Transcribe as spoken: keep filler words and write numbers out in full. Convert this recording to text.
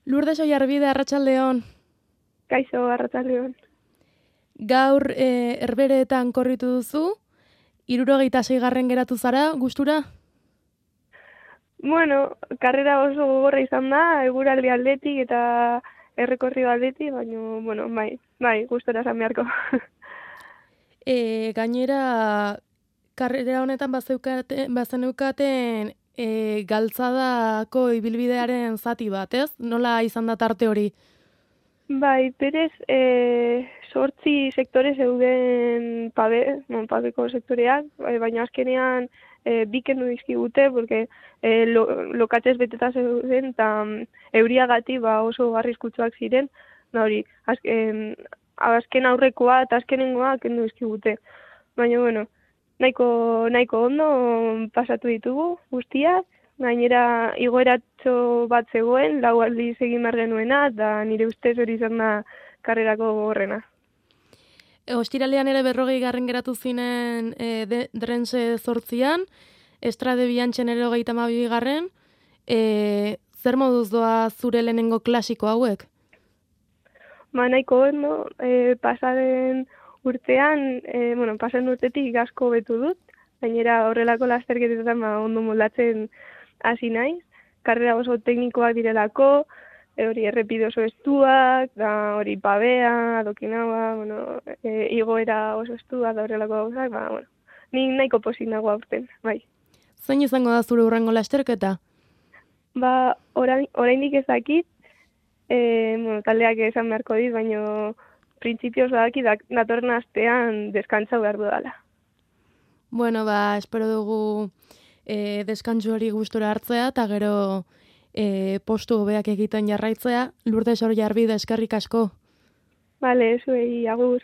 Lourdes Oiarbide, arratsaldeon. Kaixo, arratsaldeon. Gaur e, Herbereetan korritu duzu, hirurogeita seigarren geratu zara, gustura? Bueno, karrera oso gogorra izan da, eguraldi aldetik eta errekorrido aldetik, baina, bueno, bai, bai, gustora esan beharko. E, gainera, karrera honetan bazeukaten, bazeneukaten e, galtzadako ibilbidearen zati bat, ez? Nola izan da tarte hori? Bai, berez, e, sortzi sektore zeuden pabe, non, pabeko sektoreak, bai, baina azkenean e, bikendu dizkigute, porque e, lo, lokatez beteta zeuden, eta um, euriagati ba, oso arriskutsuak ziren, da hori, azken, azken aurrekoa eta azkenengoa kendu dizkigute. Baina, bueno, nahiko, nahiko ondo pasatu ditugu guztiak, gainera igoeratxo bat zegoen, lau aldiz egin behar genuena, eta nire ustez hori izan da karrerako gogorrena. E, ostiralean ere berrogei garren geratu zinen e, de, drense zortzian, estrade biantzen ere hogeita hamabi garren, e, zer moduz doa zure lehenengo klasiko hauek? Ba, nahiko ondo, e, pasaren urtean, e, bueno, pasaren urtetik asko betu dut, gainera horrelako lasterketetan ba, ondo moldatzen hasi naiz, karrera oso teknikoak direlako, e, hori errepide oso estuak, da hori pabea, adokinaua, bueno, e, igoera oso estua da horrelako gauzak, ba, bueno, ni nahiko pozik nago aurten, bai. Zein izango da zure hurrengo lasterketa? Ba, orain, oraindik ez dakit, e, bueno, taldeak esan beharko dit, baina printzipioz badaki datorren astean deskantza behar dudala. Bueno, ba, espero dugu e, deskantzu hori gustora hartzea, eta gero e, postu hobeak egiten jarraitzea. Lourdes Oiarbide, eskerrik asko. Bale, zuei, agur.